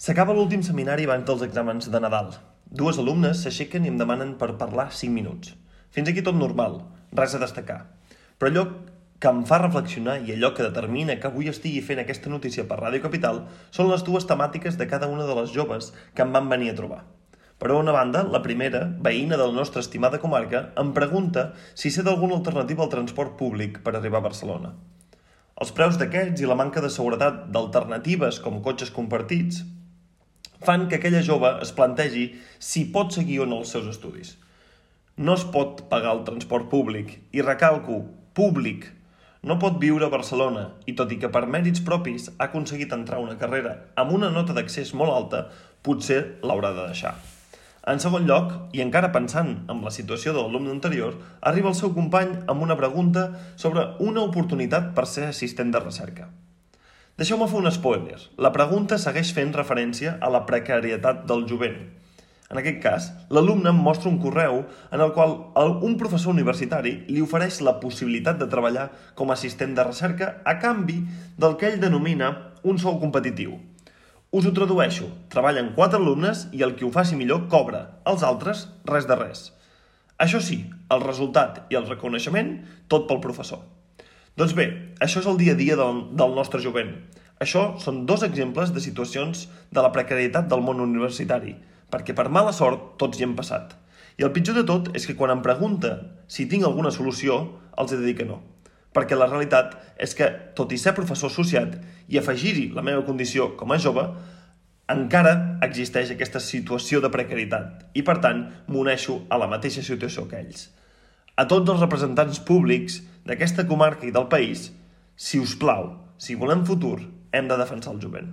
S'acaba l'últim seminari abans dels exàmens de Nadal. Dues alumnes s'aixequen i em demanen per parlar 5 minuts. Fins aquí tot normal, res a destacar. Però allò que em fa reflexionar i allò que determina que avui estigui fent aquesta notícia per Ràdio Capital són les dues temàtiques de cada una de les joves que em van venir a trobar. Per una banda, la primera, veïna de la nostra estimada comarca, em pregunta si sé d'alguna alternativa al transport públic per arribar a Barcelona. Els preus d'aquests i la manca de seguretat d'alternatives com cotxes compartits fan que aquella jove es plantegi si pot seguir o no els seus estudis. No es pot pagar el transport públic, i recalco, públic. No pot viure a Barcelona i tot i que per mèrits propis ha aconseguit entrar a una carrera amb una nota d'accés molt alta, potser l'haurà de deixar. En segon lloc, i encara pensant en la situació de l'alumne anterior, arriba el seu company amb una pregunta sobre una oportunitat per ser assistent de recerca. Deixeu-me fer un spoiler. La pregunta segueix fent referència a la precarietat del jovent. En aquest cas, l'alumne em mostra un correu en el qual un professor universitari li ofereix la possibilitat de treballar com a assistent de recerca a canvi del que ell denomina un sou competitiu. Us ho tradueixo. Treballen 4 alumnes i el qui ho faci millor cobra. Els altres, res de res. Això sí, el resultat i el reconeixement, tot pel professor. Doncs bé, això és el dia a dia del nostre jovent. Això són 2 exemples de situacions de la precarietat del món universitari, perquè per mala sort tots hi hem passat. I el pitjor de tot és que quan em pregunten si tinc alguna solució, els he de dir que no. Perquè la realitat és que, tot i ser professor associat i afegir-hi la meva condició com a jove, encara existeix aquesta situació de precarietat i, per tant, m'uneixo a la mateixa situació que ells. A tots els representants públics d'aquesta comarca i del país, si us plau, si volem futur, hem de defensar el jovent.